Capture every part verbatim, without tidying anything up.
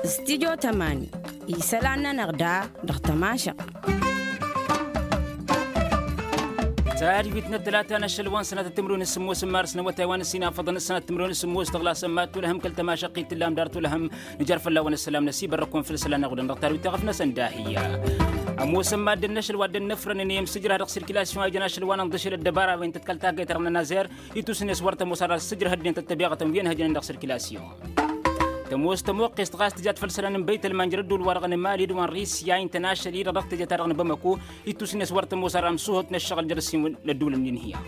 Stidyo tămani isălan-nănăɣ da dăɣ-tămašăɣt. Tadwit n-ătlata n-ašăl wa n-sănatăt timǝrwen s-sǝmmos n-mars n-awătay wa n-ăssinafăḍăn s-sănatăt timǝrwen s-sǝmmos tăɣlasăn mad-tulăhăm kăl-tămašăɣt i-tǝllam dar tulăhăm. Nǝjar fălla-wen ăssălam năsibărrăkun făll-isălan n-aɣudăn dăɣ-tadwit taɣăf-năsăn d-ahǝyya. Ămoosăn mad-dd-năšăl wa dd-ănnăfrănăn i-imsǝjrah dăɣ-sirkilasyon a ijăn ašăl wa n-ănḍǝšǝl ăddăbara-wen tăt-kăl-taggayt-ta-dăɣ n-ănazer. Itus-net wăr tămoos ara s-sǝjrăh ăddinăt ăttăbeɣătăn wi ănhăjnen dăɣ-sirkilasyon. Tămoos tămoqqest ɣas tǝjat făll-isălan n-băytălman jer-ădduul-wa-dăɣ n-emali d-wa n-risya a intăn ašăl-i-dăɣ dăɣ-teje-ta-dăɣ n-bamăko. Itus-net wăr tămoos ara ămsuhăt n-ăššăɣǝl jer-ǝssin n-ădduul n-inhǝya.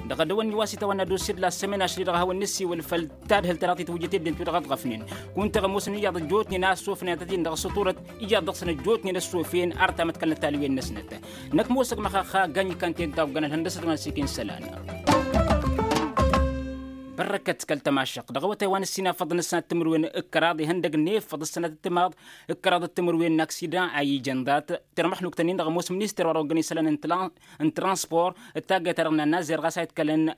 Dăɣ-edăwănni wa s-itawănna d-osid la sămena ašăl-i-dăɣ a hawăn-nǝssi wăl făll-tadhǝlt ta dăɣ-titwǝjjăt i-ăddinăt wi-dăɣ ăḍɣăfnen. Kunta ămoosăn iyyăḍ ăjjootnen a ăssofnen ad-tăt-in-dăɣ s-uturăt iyyăḍ dăɣ-săn ăjjootnen ăssofen arr tamătkălnăt talwen-năsnăt. Năkk mosăg măxaxa gany ikan-ten tawggan ălhăndăsăt wa n-ăsikǝn isălan. Bărrăkăt kăl-tămašăɣt dăɣ-awătay wa n-ăssinafăḍăn ăssanăt timǝrwen d-kăraḍ ihăndăg n-efăḍ ăssanăt d-timaḍ d-kăraḍ d-timǝrwen n-aksidan a ijăn ḍat. Termăxluk-tăn-in-dăɣ ămoos minister wa dăɣ-oggăn isălan n-transpor d-taggayt-ta-dăɣ n-annazer ɣas a itkălăn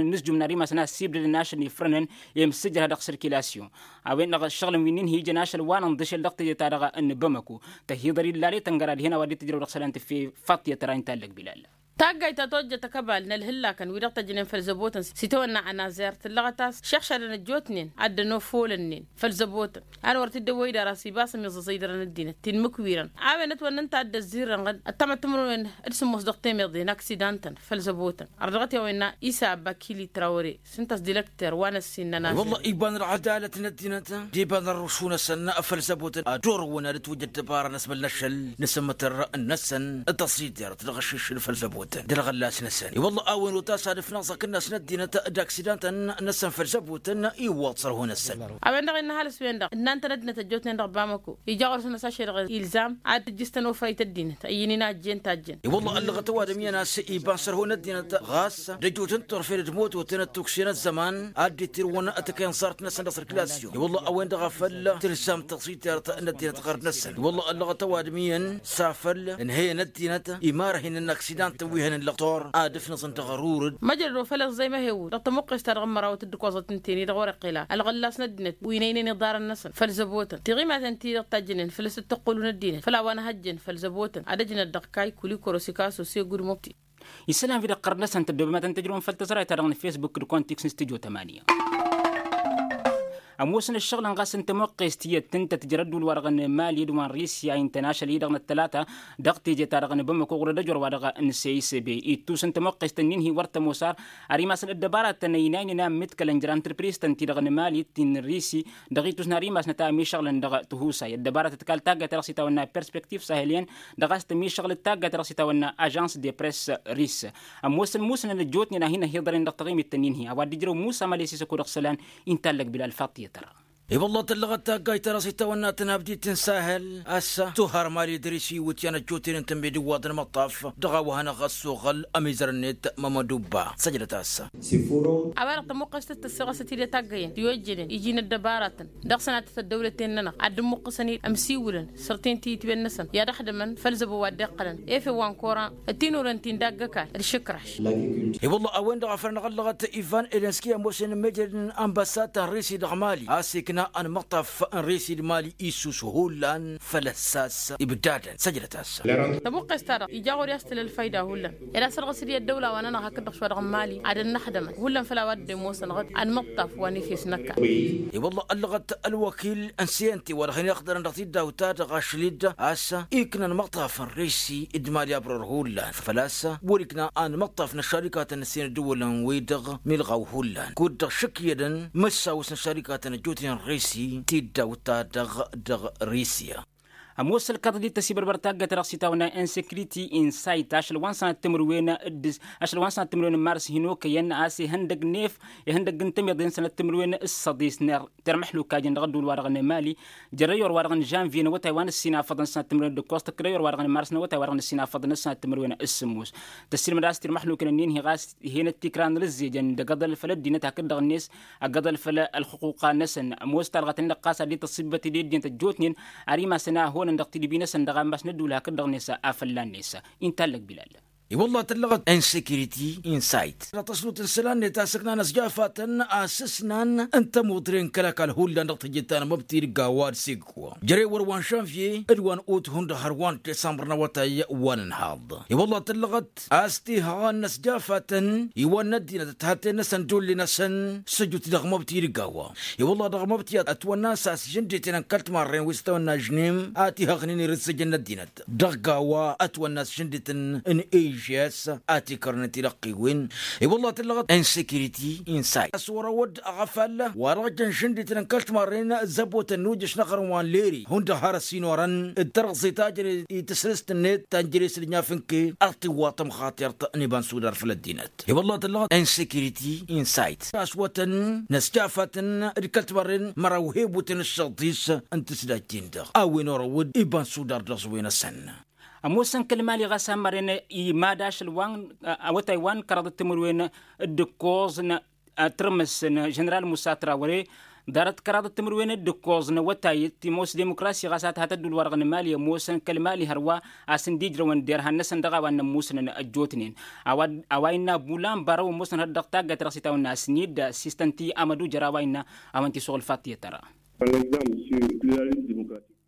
ănǝsjum n-ar imasăn a ăssiibdădăn ašăl n-ifrănăn i-imǝssǝjrăh dăɣ-sirkilasyon. A-wen-dăɣ ǝššăɣǝlăn wi n-inhǝy ijăn ašăl wa n-ănḍǝšel dăɣ-teje-ta-dăɣ n-bamăko. Tăhiḍăr illal i-tăngăra dihen a-wa dd-tǝjrăw dăɣ-isălan tǝffefa tiyyăt tăra inta ăllăg bilal. Taggayt ta tojjăt ăkăbal n-ălhǝllakan wi-dăɣ tăjjănen făll-zăbotăn s-itawănna ănazer tǝllăɣăt a-s šăɣšadăn ăjjootnen ad-dd-ănofolănnen făll-zăbotăn. A-wen wăr t-dd-ăwwăy d-ara s-ibas ămiẓẓăẓăy dăr-ăddinăt tinmǝkwirăn. A-wen ătwănnăn ta dd-ăzzirrăn ăttămăt timǝrwen d-sǝmmos dăɣ-temeḍe n-aksidan-tăn făll-zăbotăn. Ărdăɣăt i-a-wen n-isa abakili trawăre s-ǝnta a-s direkter wa n-ăssin n-ănazer. Wălla iba n-ălɣădalăt n-ăddinăt d-iba n-ărrǝšun-năsăn făll-zăbotăn ad-orăwăn ad-ătwăjja ăddăbara n-asmăl n-ašăl n-asǝmmătăr-năsăn d-tăẓidert dăɣ-ašǝššǝl făll-zăbotăn d-ălɣăllas-năsăn. I-wălla a-wen otas ad-ǝfnăẓ akǝnnas n-ăddinăt d-aksidantăn-năsăn făll-zăbotăn iwwăḍ sărhu-năsăn. A-wen-dăɣ innă ăhalǝs-wen-dăɣ ǝnnan-tăn ăddinăt ăjjootnen dăɣ-bamăko ija ɣur-săn ăsašăy-dăɣ ilzam ad-tǝjjǝstăn ofrăy n-tăddinăt ăyyǝn-in a ăjjeen tajjăn. I-wălla ăllăɣăt ăwadǝm iyyăn a-s iba n-sărhu n-ăddinăt ɣas d-ăjjootnen turfen d-mototăn d-tukse n-ăzzăman ad-dd-ittirǝwăn takăyănẓart-năsăn dăɣ-săr-klasyon i-wălla a-wen-dăɣ a făl tǝlzam tăẓidert n-ăddinăt ɣărd-năsăn i-wălla ăllăɣăt ăwadǝm iyyăn s-afăl ǝnhăyăn ăddinăt imarăh-in n-aksidant wi hănen lăqtor ad-ǝfnăẓăn dăɣ-ărurǝd. Măjrăd wa făl ăẓẓăy măhewul dăɣ-tămuqqest-ta-dăɣ n-mărawăt d-ǝkoẓăt ǝnta-en-i-dăɣ wăr-iqqel a ălɣăllas n-ăddinăt wi n-ăynăyăn iḍarăn-năsăn făll-zăbotăn tiɣimaten-ti-dăɣ tajjănen făll-asǝttăqqǝlu n-ăddinăt făll-a-wa n-ahăjjăn făll-zăbotăn ad-ăjnăt dăɣ-kayy kulikoro sikaso segud mobti. Isălan-wi-dăɣ ɣărd-năsăn tăddoobem ad-tăn-tǝjrǝwăm făll-tăẓrayt-ta-dăɣ n-fesbuk d-kontiks n-stujo tămanya. Ămoosăn ăššăɣǝlăn ɣas n-tămoqqest tiyyăt tǝntăt jer-ădduul-wa-dăɣ n-mali d-wa n-risya intăn ašăl-i-dăɣ n-ăttălata dăɣ-teje-ta-dăɣ n-bamăko ɣur-dd ăjor-wa-dăɣ n-seyisebe ittus n-tămoqqest-ǝnnin-hi wăr tămoos ar ar imasăn ăddăbaratăn ăynaynen a ǝmmǝdkălăn jer-antrăpriz-tăn-ti-dăɣ n-mali ti n-risi dăɣ-ittus n-ar imasnăt a ămišăɣlăn dăɣ-tihusay ăddăbaratăt kal taggayt-ta-dăɣ s-itawănna perspektiv sahelyăn dăɣ-a-s tămišăɣlăt taggayt-ta-dăɣ s-itawănna ažans de press ris. Ămoosăn musnăn ăjjootnen a hin-ăhiḍărnen dăɣ-taɣimit-tăn-in-hi a-wa dd-ijrăw musa malesi s-ăkk-o-dăɣ isălan. Inta ăllăg bilal faṭṭiyăt ăra. I-wălla tăllăɣăt taggayt-ta-dăɣ s-itawănna tănabdit n-sahel a-s tuha ărmali d-risi iwǝtyan ăjjootnen tămmedǝwwaḍ n-imăṭṭaf dăɣ-a-wa hanăɣ-ăssoɣăl ămizăr-net mămădubba săjdăt-as. A-wa-dăɣ tămuqqest d-tăssăɣăsăt-dd i-taggăyăn ti ojjănen iji n-ăddăbaratăn dăɣ-sănatăt ăddăwlăten-nănăɣ ad-dd-ǝmmuqqǝsăn-dd ămsiwǝlăn săr-ten-ti itwen-năsăn i-ad-ăxdămăn făll-zăbo wa dd-iqqălăn efew wa n-koran d-tinuren ti n-dagg-ăkall d-išǝkraš. I-wălla a-wen-dăɣ a făl ănɣăllăɣăt ivan elenski ămoosnen n-mejăd n-ambăsad ta n-risi dăɣ-mali a-s ikna ănmăṭṭaf n-risi d-mali issus hullan făll-ăssas ibdadăn săjdăt-as. Tăbuqqes-ta-dăɣ ija ɣur-i a-s tǝla ălfayda hullan ed asărɣǝs-dd i-ăddăwla wa-nănăɣ hakd-dăɣ šwa dăɣ-mali ad-ănnăxdămăn hullan făll-a-wa dd-ămoosănăɣ-dd ănmăṭṭaf wa n-efes n-ăkall. I-wălla ăllăɣăt ălwăkil n-siyănti wa dăɣ-hin-iɣdărăn dăɣ-tiddawt-ta-dăɣ ašli-dd a-s iknăn măṭṭaf n-risi d-mali abror hullan făl-a-s wăr-ikna ănmăṭṭaf n-ăššarikatăn n-ǝssin ăddǝwǝlăn-wi-dăɣ milɣaw hullan kud-dăɣ šǝkyădăn măssawăs n-ăššarikatăn ăjjootnen n-risi tiddawt-ta-dăɣ dăɣ-risya. Ămoos ălkaḍ dd-tăsibărbăr taggayt-ta-dăɣ s-itawănna insekriti insayt ašăl wa n-sănat timǝrwen d-ašăl wa n-sănat timǝrwen n-mars hin-okăyăn a-s ihăndăg n-ef ihăndăg n-tămiḍe n-sănat timǝrwen s-săḍis n-termăḥluk a jăn dăɣ-ădduul-wa-dăɣ n-emali jer-ayor-wa-dăɣ n-žănvye n-awătay wa n-ǝssinafăḍăn sănat timǝrwen d-ǝkkoẓ tǝkkǝd ayor-wa-dăɣ n-mars n-awătay-wa-dăɣ n-ǝssinafăḍăn sănat timǝrwen s-sǝmmos. Tăssilmăd a-s tirmăxluken ǝnnin-hi ɣas ih'-enăt tikra n-rǝzzejăn d-agăḍăl făll-ăddinăt hakd-dăɣ-net agăḍăl făll-ălxuquqa-năsăn ămoos talɣăt-nin-dăɣ ɣas ad-dd-tăṣṣibbăt-dd i-ăddinăt ăjjootnen ar imasăn a honăn dăɣ-tidǝbi-năsăn dăɣ-ammas n-ădduul hakd-dăɣ-net a fălla-net. Inta allăg bilal. I-wălla tăllăɣăt insekiriti insayt dăɣ-tăsnut n-isălan-net a-s ǝknan ăsjafatăn a-s ǝsnan n-tămuḍre n-kăl-ăkall hullan dăɣ-tijǝt ta n-amăbti dăgg-a-wa d-sigg-wa jere wăr wa n-žănvye d-wa n-ut hundăɣ hărwa n-disămbăr n-awătay wa n-ǝnhaḍ. I-wălla tăllăɣăt a-s tihăɣăn n-ăsjafatăn iwăn n-ăddinăt ăthaten-năsăn d-ulle-năsăn săjut dăɣ-măbti dăgg-a-wa. I-wălla dăɣ-măbti ătwănna a-s žăndeten n-kăl-timarren wi s-tăwănna žnim a tihăɣnen irǝzzăjăn n-ăddinăt dăɣ-a-wa ătwănna a-s žăndeten n-ežes a tikărnen tilăqqiwen. I-wălla tăllăɣăt insekiriti insay a-s wăr-ăwădd ăɣăfal wa dăɣ-jăn žăndeten n-kăl-timarren zăbotăn n-ujǝš n-aɣrǝm wa n-leri hundăɣ har ăsinorăn d-tărɣẓe ta jăre i-tǝsrǝst-net ta n-jere s-dd-inyafǝnke ad-tiwwaḍ tămxaṭert n-iba n-sudar făll-ăddinăt. I-wălla tăllăɣăt insekiriti insayt aswătăn n-ăsjafatăn d-kăl-timarren măraw hebuten ǝššăḍ-is n-tǝsdajjin-dăɣ a-wen orăwăd iba n-sudar dăɣ-s wen-asăn. Ămoosăn kăl-mali ɣas a n-mărăn imad ašăl wa n-awătay wa n-kăraḍăt timǝrwen d-ǝkkoẓ n-tǝrmǝs n-ženeral musa trawăre ḍarăt kăraḍăt timǝrwen d-ǝkkoẓ n-awătay t-imoos dimukrasi ɣas a tăhăt ădduul-wa-dăɣ n-mali ămoosăn kăl-mali hărwa a-s ǝnda ijrăwăn derhan-năsăn dăɣ-a-wa n-ămmusnăn ăjjootnen. A-wa innă bulan barăw ămoosnăn hărăt dăɣ-taggayt dăɣ-s itawănna a-s n-dd-sista n-ti amădu jer-a-wa innă a-wen t-isuɣǝl faḍt i-tăra.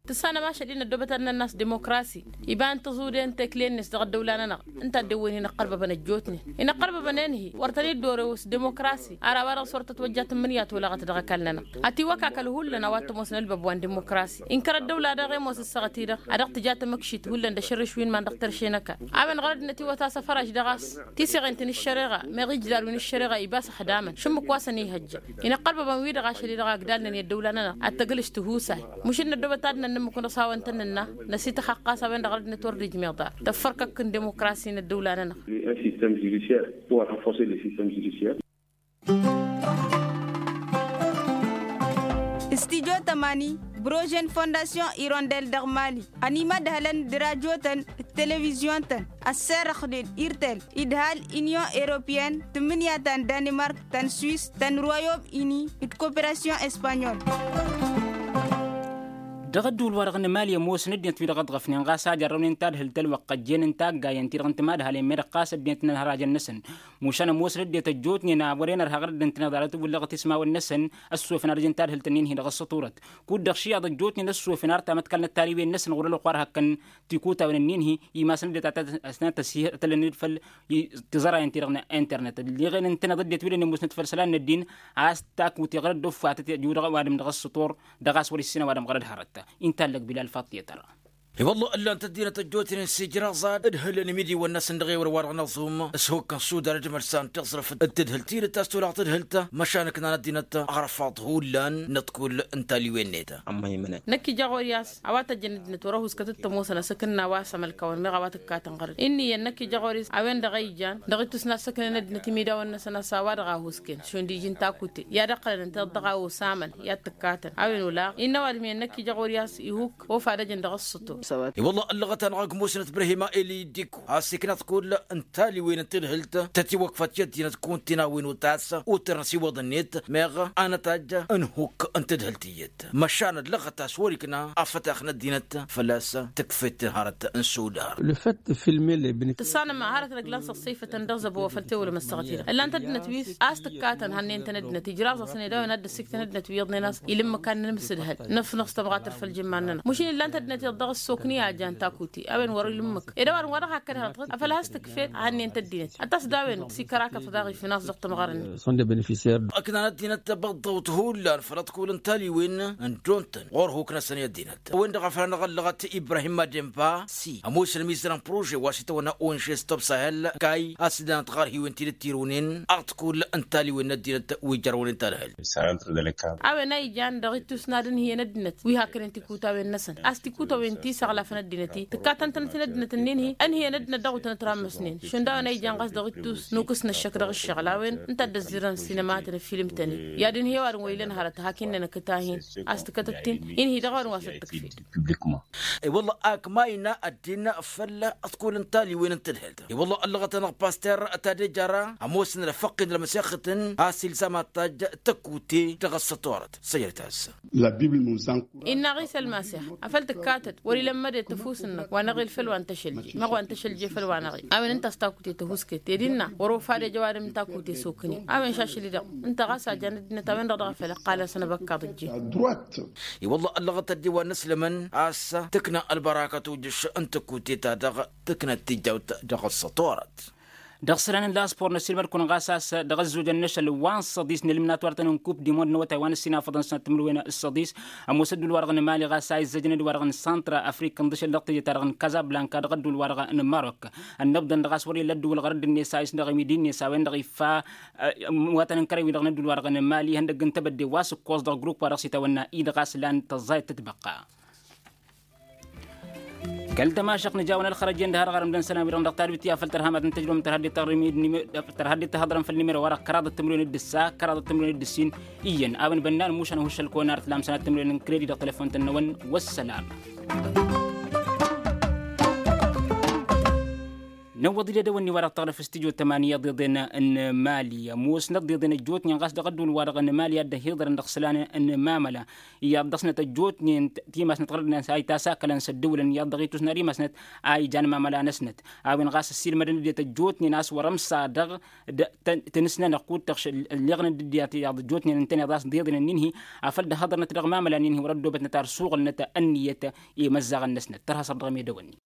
Tǝssanăm ašăl-i n-ăddoobăt ad-nănn a-s dimukrasi iba n-tăẓude n-tekle-net dăɣ-ăddăwla-nănăɣ ǝnta a dd-ewwen-i inăqqălbăbăn ăjjootnen inăqqălbăbăn-en-hi wăr tăn-dd-orew s-dimukrasi ar a-wa dăɣ-s wăr tătwăjja tǝmmǝnǝya tolăɣăt dăɣ-ăkall-nănăɣ. Ătiwăkakăl hullan a-wa t-ămoosăn ălbăb wa n-dimukrasi inkăr ăddăwla daɣ i-ămoos ǝssaɣăt-i-dăɣ a dăɣ-tǝja tamǝkšit hullan d-ašărrǝš wi n-iman dăɣ-terše n-ăkall a-wen ɣărăd n-ătiwăt a-s ăfărăš dăɣ-a-s tiseɣen-t n-ǝššăreɣa meɣ ijlal wi n-ǝššăreɣa ibas ăxdamăn šǝmmǝk wa săn-ihăjja. Inăqqălbăbăn-wi-dăɣ ašăl-i-dăɣ agdalnen i-ăddăwla-nănăɣ ad-tăglǝš tihusay. Măšǝl n-ăddoobăt ad-nănnămmǝk wa n-ăsawăn-tăn-nǝnna năsităxăqqa a-s a-wen-dăɣ ɣărăd-net wăr dd-ijmeḍ ar tăffărkăk n-dimukrasi n-ăddăwla-nănăɣ. Studyo tămani brožen fondasyon irondel dăɣ-mali ănimădhălăn d-rajotăn d-televizyon-tăn ăsserăxnen irtel idhal inyon europeyăn tǝmmǝnǝya ta n-danimark ta n-swis ta n-royom ini d-koperasyon espanyol. Dăɣ-ădduul-wa-dăɣ n-emali ămoosăn ăddinăt wi-dăɣ ăḍɣăfnen ɣas a jarrăwnen tadhǝlt ălwăqq ăjjeen n-taggayen-ti-dăɣ n-timadhalen meddǝɣ ɣas ăddinăt n-ălhărajăn-năsăn. Mušan ămoosăn ăddinăt ăjjootnen a wăren ărha ɣărădd ǝntăneḍ arăt wǝllăɣăt ismawăn-năsăn ăssofăn ad-ăj n-tadhǝlt-ǝnnin-hi-dăɣ ăssăturăt kud-dăɣ šiyaḍ ăjjootnen ăssofăn ar tamătkalnăt tariwen-năsăn ɣur-ălwăqq wa dăɣ-hakkăn tikutawen-ǝnnin-hi imasăn ăddinăt a tăt-ăsnat tăsihătălăn-dd făll-tiẓărayen-ti-dăɣ n-internet ălleɣen ǝntăneḍ ăddinăt wi dăɣ-nămoosnăt făll-isălan n-ăddin a-s takute ɣărăt d-offatăt ăjudăɣ ăwadǝm dăɣ-ăssător dăɣ-a-s wăr-issǝn ăwadǝm ɣărăt hărăt. Inta ăllăg bilal faḍt i-tăra. I-wălla ǝllan-t ăddinăt ăjjootnen s-ijraẓ-ad ǝdhǝlăn imidiwăn-năsăn dăɣ-ewăr wa dăɣ-năẓum s-hukk n-sudar d-imălsan tiẓrǝf d-tadhǝlt-i d-tasturăɣt tadhǝlt măšan ǝknan ăddinăt ăɣrăfaḍ hullan n-ăḍkul n-taliwen-net. Năkk ija ɣur-i a-s a-wa tăjjăn ăddinăt wăr-ăhuskăt d-tămoosăn asǝkǝnna wa s-amălkawăn meɣ a-wa tǝkkatăn ɣărăt-i ǝnniyăn năkk ija ɣur-i a-s a-wen-dăɣ a ijan dăɣ-ittus n-assăknen ăddinăt imidawăn-năsăn a-s a-wa dăɣ-a husken šund iji n-takute i-ad-ăqqălăn ǝnta dăɣ-a osamăn i-ad-tǝkkatăn a-wen olaɣ innă ăwadǝm-iyyăn năkk ija ɣur-i a-s ihuk ofad ăjăn dăɣ-ǝssǝto. I-wălla ăllăɣăt-anăɣ ăgg musnăt brahima eli dik a-s ikna ăḍkul n-taliwen n-tadhǝlt tătiwăkfăt i-ăddinăt kuntin a-wen utas utărnăs iwăḍ-net meɣ anătajj n-hukk n-tadhǝlt iyyăt măšan ăllăɣăt a-s wăr-ikna afătax n-ăddinăt fălla-s tǝkfet hărăt n-sudar. Tǝssanăm hărăt n-ăgg lan săssăyfătăn dăɣ-zăbo wa făl tewălăm ăssaɣăt-i-dăɣ ǝllan-t ăddinăt wi s-a-s tǝkkatăn hannăyăn-tăn ăddinăt ijraẓ-asăn ed a-wen ad-dd-ăssiktăn ăddinăt wi iyyăḍnen a-s ilǝmmǝk ad-nǝnǝmsǝdhăl năfnăɣ s-tămɣatăr făll-jǝmman-nănăɣ măšin ǝllan-t ăddinăt iyyăḍ dăɣ-ăssokni a jan takute a-wen wăr-ilǝmmǝk ed a-wa dăɣ-hakk ădhălăt afăl has-tǝkfet hannăyăn-t ăddinăt ad-t-as d-a-wen s-ikărakăt daɣ ifnas dăɣ-tămɣăra-net. Ăknan ăddinăt băḍḍăwt hullan făll-ăḍkul n-taliwen n-dd-ontăn ɣur-huk-năsăn i-ăddinăt a-wen-dăɣ a făl anăɣ-ăllăɣăt ibrahim mademba si ămoos ălmizăr n-prože wa s-itawănna onže s-tobsahel kay a-s dd-anăt ɣar hiwen ti dd-tirǝwnen aḍkul n-taliwen n-ăddinăt wi ijărrăwnen tadhǝlt. A-wen a ijan dăɣ-ittus n-ad-ǝnhǝyăn ăddinăt wi haknen tikutawen-năsăn a-s tikutawen ti s-ăɣlafăn ăddinăt-i tǝkkatăn-tănăt-in ăddinăt-ǝnnin-hi ǝnhǝyăn ăddinăt dăɣ-wǝtnăt rammăsnen šund a-wen a ijan ɣas dăɣ-ittus nukǝs n-ăššăk dăɣ-ǝššăɣǝl a-wen ǝnta a dd-ăzzirăn sinămatăn ăfilmtăn i-ad-ǝnhǝy ăwadǝm wa ilăn hărăt hak innă nǝkǝt-ahin a-s tǝkătăt-in inhǝy dăɣ-a-wen wa s-dd-tǝkfel. I-wălla ak mayna ăddin făll-ăḍkul n-taliwen n-tadhǝlt i-wălla ăllăɣăt-anăɣ paster tadejara ămoosăn ălfăqqin d-ălmăsexătăn a-s ilzam ad-tajj tăkute dăɣ-ăssătorăt săjrăt-as. Innă ɣisa ălmasex afăl tǝkkatăd wăr-ila. Tămmăde tăfus-năk wa n-eɣil făll-wa n-tăšălje meɣ wa n-tăšălje făll-wa n-eɣil a-wen ǝnta a-s takute tăhusket ed innă wăr-ofad ija ăwadǝm n-takute s-okǝne. A-wen šašăl-i-dăɣ ǝnta ɣas a jan ăddinăt a-wen-dăɣ dăɣ-a făl ăqqalăn-săn abăkkaḍ ǝjjeen. I-wălla ăllăɣăt ăddiwa n-ăslămăn a-s tǝkna ălbărakăt ujǝš n-takute-ta-dăɣ tǝknăt tijawt dăɣ-ăssăṭorăt. Dăɣ-isălan n-laspor n-ăssiilmăd-kăwăn ɣas a-s dăɣ-ăzzojăn n-ašăl wa n-săḍis n-ǝlmǝnat wa dăɣ-tăn-ǝnkub d-imon n-awătay wa n-ăssinafăḍăn sănat timǝrwen s-săḍis. Ămoos ădduul-wa-dăɣ n-mali ɣas a izzăjăn d-wa-dăɣ n-săntra afrik ǝnḍǝšăl dăɣ-teje-ta-dăɣ n-kazablanka dăɣ-ădduul-wa-dăɣ n-marok. Ănnăbḍăn dăɣ-a-s wăr-illa ădduul ɣărăd-net a isnăɣ imidi-net a-wen-dăɣ iffa iwatăn n-kărăwin-dăɣ n-ădduul-wa-dăɣ n-mali ihăndăgg n-tebădde wa s-ǝkkoẓ dăɣ-grupp wa dăɣ-s itawănna-i dăɣ-a-s lan tăẓẓayăt tǝtbăqqa. Kăl-tămašăɣt nǝja-wăn ălxărăj-en d-har ɣărăm d-ănsanăn-wi-dăɣ dăɣ-talbit i-afăl tărham ad-ǝntăjrǝwăm tărha dd-tărham făll-nimero-wa-dăɣ kăraḍăt timǝrwen d-ǝssa kăraḍăt timǝrwen d-ǝssin. Iyyăn a-wen bănnan mušan huššăl-kăwăn ar t-lam sănat timǝrwen n-kredi dăɣ-telefon-tăn-năwăn. Wăssălam. Năwwăḍ-dd edăwănni-wa-dăɣ tăɣrǝf s-tijot tămani iyyăḍ iḍen n-mali ămoosnăt d-iḍen ăjjootnen ɣas dăɣ-ădduul-wa-dăɣ n-mali ad-dd-ăhiḍărăn dăɣ-isălan n-mamăla. Iyyăḍ dăɣ-snăt ăjjootnen timasnăt ɣărădnen a itasakălăn s-ăddǝwǝlăn iyyăḍ dăɣ-itusna rimasnăt a ijan mamăla-năsnăt. A-wen ɣas ăssiilmădăn ăddinăt ăjjootnen a-s wăr-ămsa dăɣ-tăn-ǝsnănăɣ kud-tăɣš ălleɣnăt d-ăddinăt iyyăḍ ăjjootnen ǝntăneḍ a-s dd-iḍǝnăn-in-hi. Afăl dd-hăḍărnăt dăɣ-mamăla-nin-hi wăr-ăddoobătnăt ar suɣǝlnăt ǝnniyăt i-imăzzaɣăn-năsnăt tărha săr dăɣ-medăwănni.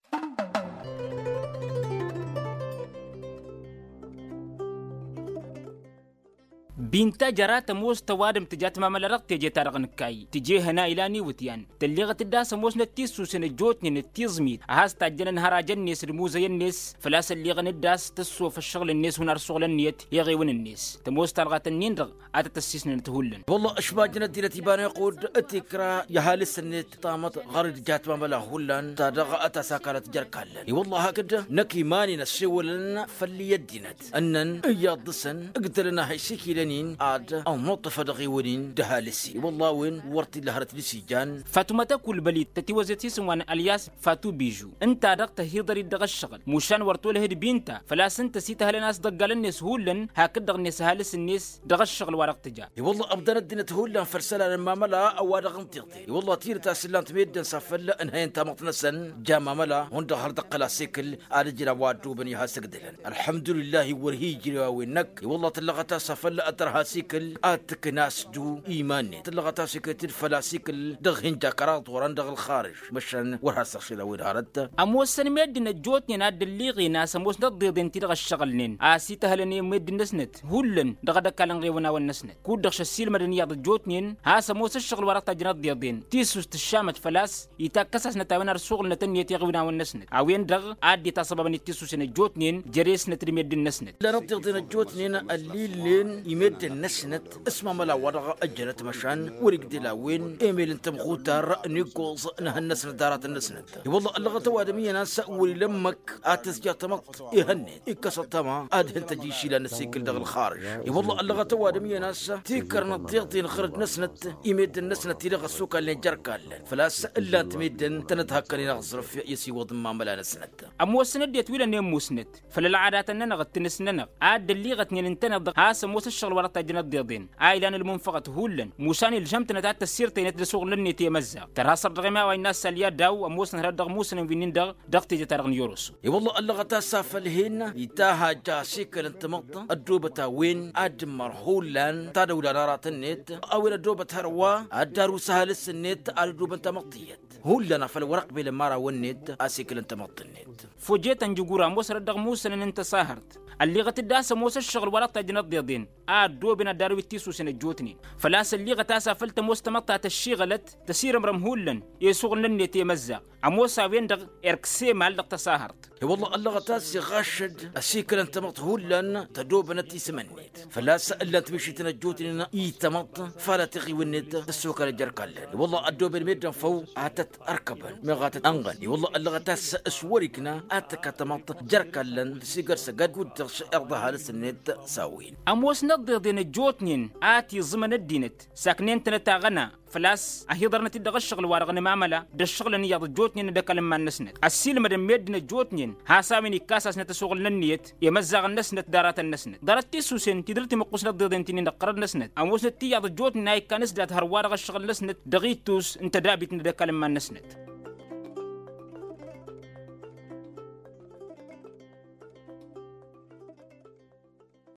Binta jăra tămoos tăwadǝm tǝja tămamăla dăɣ-teje-ta-dăɣ n-kayy tǝjehăn a ilan iwǝtyan tălleɣăt-dd a-s ămoosnăt tissusen ăjjootnen d-tiẓmit a has-tajjănăn har ajăn-net d-imuzăyăn-net. Făl-a-s ălleɣăn-dd a-s tăssof ăššăɣǝl-net hun ar suɣǝl ǝnniyăt i-iɣewăn-net tămoos talɣat-nin-dăɣ a tăt-ăssisnănăt hullan. Wălla ăšmajăn ăddinăt iba n-iqqud tikra i-ăhalǝs-net tamăḍt ɣur-dd jatmamăla hullan ta dăɣ-a tasakalăt jer-kallăn i-wălla hakd năkk iman-in ăssewălăn făll-i ăddinăt ǝnnăn iyyăḍ dăɣ-săn ǝgdălăn a ha isikilăn-in ad-ănnuṭṭăfăd aɣewăn-in d-ăhalǝs-i i-wălla a-wen wăr t-illa hărăt dăɣ-s ijan. Fatuma tăkulbălit tătiwăzet isǝm wa n-ălyas fatu bižu ǝnta-dăɣ tăhiḍăr-dd dăɣ-ăššăɣǝl mušan wăr tolăh d-binta. Făl-a-s ǝnta s-ităhălăn a-s ḍăggalăn-net hullan hakd-dăɣ-net ăhalǝs-net dăɣ-ăššăɣǝl wa dăɣ-tǝja. I-wălla ăbdăn ăddinăt hullan făll-isălan n-mamăla ăwadăɣ n-tiḍe i-wălla tidǝt a-s ǝllan-t meddǝn s-afăl ǝnhăyăn tamăḍt-năsăn ja mamăla hundăɣ har dăɣ-kăla s-ekǝl ad-ǝjrǝw a-wa ăddoobăn i-has-ǝgdǝlăn. Ălḥămdulillah wăr hi-ijrew a-wen-năkk i-wălla tǝllăɣăt a-s afăl ad-tărha s-ekǝl ad-tǝkna s-du iman-net tǝllăɣăt a-s ekǝl-t-dd făl-a-s ekǝl dăɣ-hin-ja kăraḍ orăn dăɣ-ălxarǝž. Măšan wăr has-ăɣšel a-wen hărăt. Ămoosăn meddǝn ăjjootnen a dd-ălliɣen a-s ămoosnăt dd-iḍen ti-dăɣ ăššăɣǝlnen a-s ităhălăn i-meddǝn-năsnăt hullan dăɣ-ad-ăkall ănɣewăn-awăn-năsnăt kud-dăɣ šăssiilmădăn iyyăḍ ăjjootnen. Has-ămoos ăššăɣǝl wa dăɣ-tajjăn ad-dd-iḍen tisust tǝššamăt făl-a-s itakkăs-asnăt a-wen ar suɣǝlnăt ǝnniyăt i-iɣǝwǝn-awăn-năsnăt a-wen-dăɣ a dd-itasăbabăn i-tisusen ăjjootnen. Jere-snăt d-meddǝn-năsnăt. Ǝllanăt tiḍen ăjjootnen ăllilnen i-meddǝn-năsnăt s-mamăla wa dăɣ-ăjjănăt măšan wăr-igdel a-wen emel n-tămxutar n-iggoẓ n-ehăn-năsnăt d-aratăn-năsnăt. I-wălla ăllăɣăt ăwadǝm iyyăn a-s wăr-ila ǝmmăk ad-tǝzja tamăḍt ehăn-net ikkăs ăṭṭăma ad-hin-tăj išilan n-asikǝl dăɣ-ălxarǝž. I-wălla ăllăɣăt ăwadǝm iyyăn a-s tikkărnăt tiḍen ɣărăd-năsnăt i-meddǝn-năsnăt ti-dăɣ ăssokalnen jer-ikallăn făl-a-s ǝllan-t meddǝn tănăt-hakkănen aẓrǝf i-ăsiwăḍ n-imamăla-năsnăt. Ămoosăn ăddinăt wi lănen musnăt făll-ălɣadatăn-nănăɣ d-tinǝs-nănăɣ a dd-ălliɣătnen ǝntăneḍ-dăɣ has-ămoos ăššăɣǝl wa dăɣ-tajjăn ăddiḍen a ilan ălmunfăɣăt hullan mušan ilžăm-tănăt ad-t-ăssirtăynăt d-asuɣǝl-net i-imăzzaɣ. Tărha săr dăɣ-emawa innă a-s ălyadaw ămoosnăt hărăt dăɣ-imusănăn wi-nin-dăɣ dăɣ-teje-ta-dăɣ n-iyorosov. I-wălla ăllăɣăt a-s afăl hin-itaha ja asikăl n-tamăḍt ăddoobăt a-wen ad-dd-ǝmmăr hullan tadăwla n-aratăn-net a-wen ăddoobăt hărwa ad-dd-arǝw s-ăhalǝs-net ad-ăddoobăn tamăḍt tiyyăt. Hullan afăl wăr ăqbelăn imărawăn-net asikǝl n-tamăḍt-net. Fojetăn jǝgura ămoos hărăt dăɣ-imusănăn n-tăsahărt ălliɣăt-dd a-s ămoos ăššăɣǝl wa dăɣ-tajjăn ăḍḍeḍen a ăddooben ad-dd-arǝw d-tisusen ăjjootnen. Făl-a-s ălliɣăt a-s afăl tămoos tamăḍt ta tăššiɣălăt tăsirămrăm hullan i-asuɣǝl-net i-imăzzaɣ. Ămoos a-wen-dăɣ erk s-emal dăɣ-tăsahărt. I-wălla ăllăɣăt a-s iɣašăd asikăl n-tamăḍt hullan tădobănăt isǝm-net făl-a-s ǝllan-t mišităn ăjjootnen i-tamăḍt fala tiɣiwen-net tăssokălăt jer-ikallăn. I-wălla ăddooben meddǝn făw ad-tăt-ărkăbăn meɣ ad-tăt-ănɣăn. I-wălla ăllăɣăt a-s s-wăr-ikna ad-tǝkka tamăḍt jer-ikallăn tăsigărsăgăd kud-dăɣ s-irḍa ăhalǝs-net s-a-wen. Ămoosnăt d-iḍen ăjjootnen a tiẓǝmăn ăddinăt saknen-tănăt aɣăna făl-a-s ăhiḍărnăt-dd dăɣ-ǝššăɣǝl-wa-dăɣ n-imamăla d-ăššăɣǝlăn iyyăḍ ăjjootnen d-ăkall n-iman-năsnăt. Ăssiilmădăn meddǝn ăjjootnen has-a-wen ikkas-asnăt asuɣǝl n-ǝnniyăt i-imăzzaɣăn-năsnăt d-aratăn-năsnăt. Ḍarăt tisusen ti dăr-timǝqqusnăt d-iḍen ti-nin-dăɣ ɣărăd-năsnăt ămoosnăt tiyyăḍ ăjjootnen a ikkan s-dat hărwa dăɣ-ǝššăɣǝl-năsnăt dăɣ-ittus n-tădabit n-ad-ăkall n-iman-năsnăt.